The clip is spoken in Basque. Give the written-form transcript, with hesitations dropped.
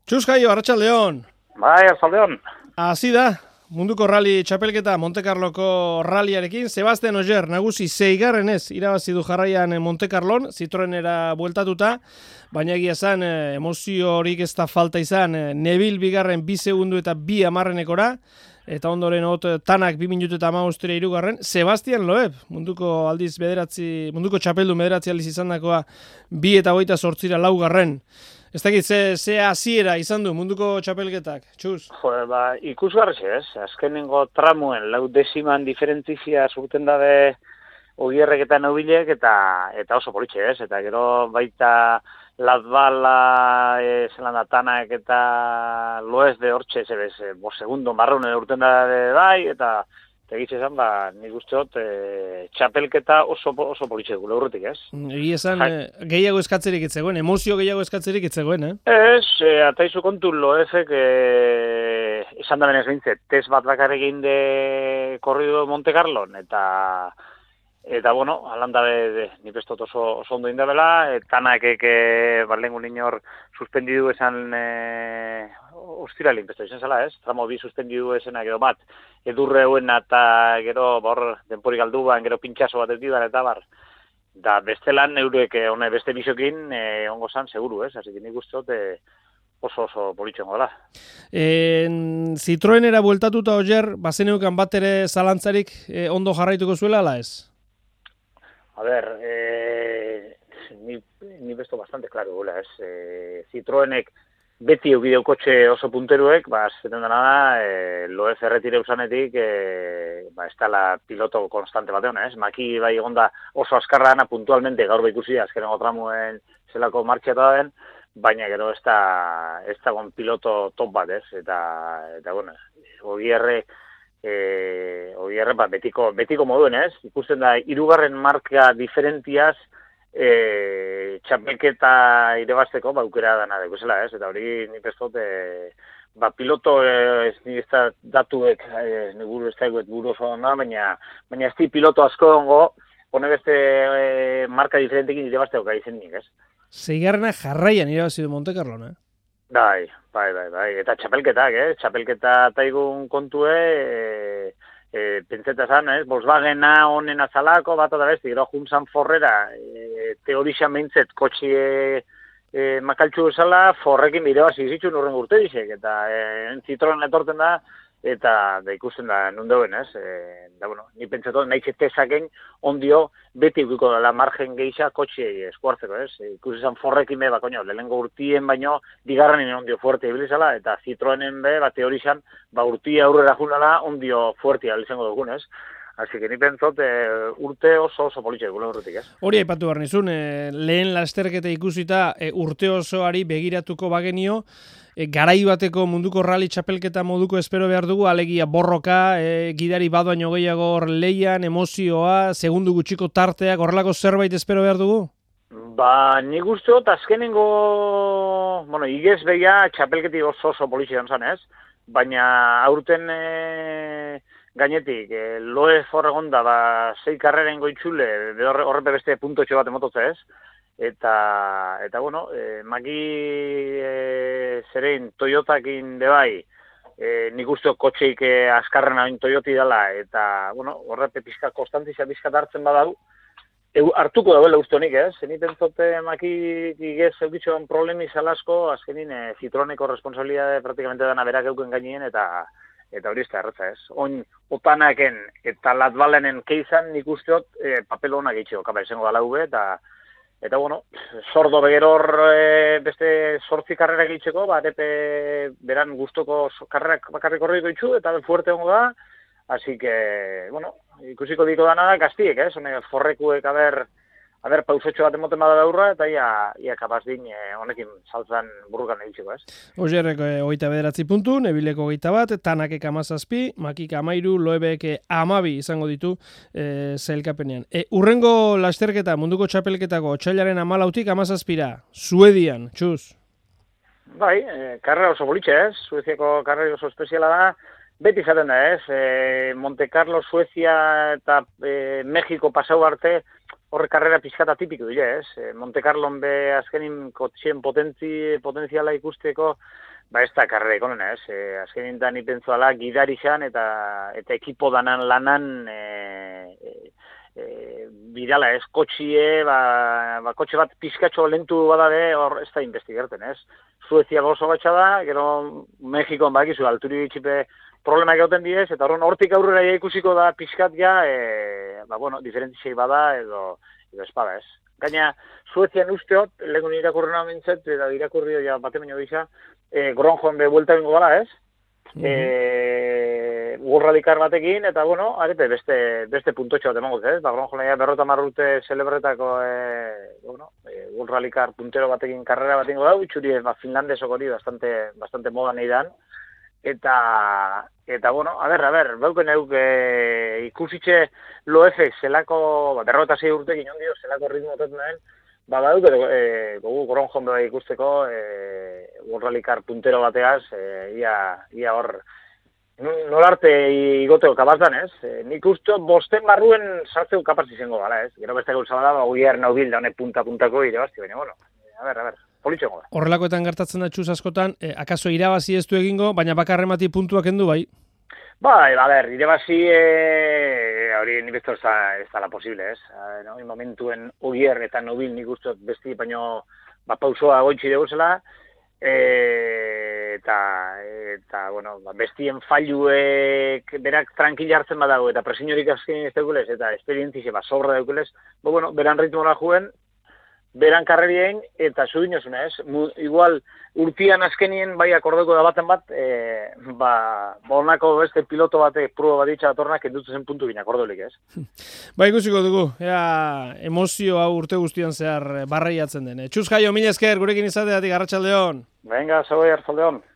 Txus Jaio, Arratsaldeon. Bai, Arratsaldeon. Hasi da, munduko rally txapelketa Monte Carloko ralliarekin. Sebastian Ogier, nagusi 6. irabazi du jarraian Monte Carlon, Citroenera bueltatuta, baina egia esan emozio horik ez da falta izan, Neville bigarren 2 segundu eta 2 hamarrenekora, eta ondoren Tanak 2 minutu eta 15 hirugarren, Sebastian Loeb, munduko txapeldun bederatzi aldiz izandakoa 2 eta 28 laugarren. Ez dakit, ze hasiera izan du munduko txapelketak, Txus? Ikusgarri ez. Azkenengo tramuen 10 diferentzia zurten dabe Ogierrek eta Neubilek eta oso politxe ez. Eta gero baita Latbala, Zelanda Tanak eta Loez de hortxe, segundo marronen urten dabe bai, eta egitxe esan, nik usteot, txapelketa oso politxe dugu, lehurretik, ez? Egia esan, gehiago eskatzerik etzegoen, emozio gehiago eskatzerik etzegoen, Ez, ataizu kontu Loezek, esan da benez bintzet, test bat bakarrekin de korrido Monte Carlon, eta bueno, alanda ni pestot oso ondo indabela, Tanakek lengun inor suspendidu esan ostiralin pesto izan zela, ez? Tramo 2 suspendidu esena gero bat, edurre huen eta gero denporik alduan, gero pintxaso bat edidan eta bar. Da bestelan eurek hone beste bisokin ongo zan, seguru, ez? Así que nik usteot oso politxengo dela. Citroenera bueltatuta Ogier, bazeneukan bat ere zalantzarik ondo jarraituko zuela, ala ez? A ver, ni besto bastante claro, gula, ez? Citroenek beti eukideu kotxe oso punteruek, zeten dena da, Loez erretire usanetik, ez dela piloto konstante batean, ez? Maki bai egonda oso askarra dena puntualmente, gaur ikusi azkenengo tramuen zelako martxeta den, baina gero ez da gon piloto top bat, ez? Eta bueno, Ogierre betiko moduen, ez? Ikusten da, 3. marka diferentiaz txapelketa irebazteko aukera dana dekusela, ez? Eta hori nik ez dut, piloto ez da datuek, niguru ez da buru oso da, baina ez di piloto asko ongo, hone beste marka diferentekin irebazteko gai zen nik, ez? 6. jarraian irabazi du Monte Carlon, Bai. Eta txapelketak, txapelketa taigun kontue, pentseta zan, Volkswagena honen azalako, bat eta besti, gero juntzan forrera, teorixan behintzet, kotxie makaltxu esala, forrekin bideoaz izitxun urren urte dizek, eta Citroen etorten da, eta ikusten da nundeuen, ez? Bueno, ni pentsatzen nahi txetezaken ondio beti ukiko dela margen geisha kotxei eskuartzeko, ez? Ikusi zan forrekin be, lehenengo urtien baino, bigarrenin ondio fuerte ibilizala, eta Citroenen be, teorixan, urtia aurrera junala ondio fuertea izango dugun, ez? Así que ni pentsot urte oso politxe gure urtetik, ez? Hori aipatu behar nizun, lehen lasterketa ikusita urte osoari begiratuko bagenio, garai bateko munduko rally txapelketa moduko espero behar dugu, alegia borroka, gidari bat baino gehiago hor leian, emozioa, segundu gutxiko tarteak, horrelako zerbait espero behar dugu? Nik usteot azkenengo, igez behia txapelketi oso politxe zan, ez? Baina aurten gainetik, Loez horregonda, 6 karreren goitzule, horrepe beste puntotxo bat emototze, ez? Eta bueno, maki zerein Toyotakin bebai, nik usteok kotxeik askarren hain Toyoti dela, eta bueno, horrepe pizka konstantizia pizka hartzen badau, hartuko dauela uste honik, ez? Zenit entzote maki igez eukitxoan problemi zalasko, azkenin Citroeneko responsabilidade praktikamente dana berak euken gainien, eta hori ez da erratza, ez? Oin, Otanaken eta Latbalenen keizan nik usteot papel honak egitxeo, kapa izango dala ube, eta bueno, sordo begeror beste 8 karrera egitxeko, arepe beran guztoko karrerak bakarrik horriko itxu, eta fuerte hongo da, así que, bueno, ikusiko diko dana da gaztiek, ez? Forrekuek aber pausotxo bat emoten bada daurra, eta ia kapaz din honekin saltzan burrukan egitxeko, ez? Ogierrek 29 puntu, Nevileko 21, Tanakek 17, Makik 13, Loebek 12 izango ditu sailkapenean. Urrengo lasterketa munduko txapelketako otsailaren 14tik 17ra, Suedian, Txus. Bai, karrera oso bolitxe, ez? Sueziako karrera oso espeziala da, beti izaten da, ez? Monte Carlo, Suezia eta Mexiko pasau arte, horre karrera pizkata tipiko dira, ez? Monte Carlon be azkenin kotxien potentziala ikusteko Ba ez da karrera ikonena, ez? Azken nintan ipentzuala gidari xan eta ekipo danan lanan bidala, ez? Kotxie, kotxe bat pizkatxo lentu badabe, hor ez da investigerten, ez? Suezia oso batxa da, gero Mexikon bakizu, alturi txipe problemak egoten diez, eta hortik aurrera ikusiko da pizkat ja, diferentizei bada edo espada, ez? Gaina, Suezian usteot, lehenko irakurri nahi mintzet, eta irakurri ja batemen gisa, Gronjoan be buelta bingo gala, ez? Gurradikar batekin, eta arepe beste puntotxo bat emango, ez? Gronjoan ja berrota marrute celebretako gurradikar puntero batekin karrera bat ingo da, utxuri finlandesok hori bastante moda nahi dan. Eta beuken euk ikusitxe loefek zelako, berrota 6 urtekin ondio, zelako ritmo otetan den, badauk, gogu Gronjoan beba ikusteko, Worralikar puntero bateaz, ia hor, nolarte igoteko kapazdan, ez? Nik uste bosten barruen sartzeko kapaz izango gala, ez? Gero beste gauza bada, Ogier Naubil da honek punta-puntako irabazti, baina, politxengo da. Horrelakoetan gertatzen da txuz askotan, akaso irabazi ez du egingo, baina bakarremati puntuak endu bai? Bai, irabazi hori nik besto ez da posible, ez? Momentuen Ogier eta Naubil nik uste besti, baina pausoa goitxi deguzela, bestien falluek berak tranquila hartzen badago, eta presiniorik azkenin ez daukulez, eta esperientzize sobra daukulez, beran ritmora juen, beran karrerien, eta zudinosuna, ez? Igual, urtian azkenien, bai akordeko da baten bat, honako beste piloto batek, prueba bat ditxa datornak, endutzen zen puntu gina akordolik, ez? Ba, ikusiko dugu, emozio hau urte guztian zehar barreiatzen den. Txuz Jaio, mila esker, gurekin izateatik, arratsaldeon. Venga, zagoi, arratsaldeon.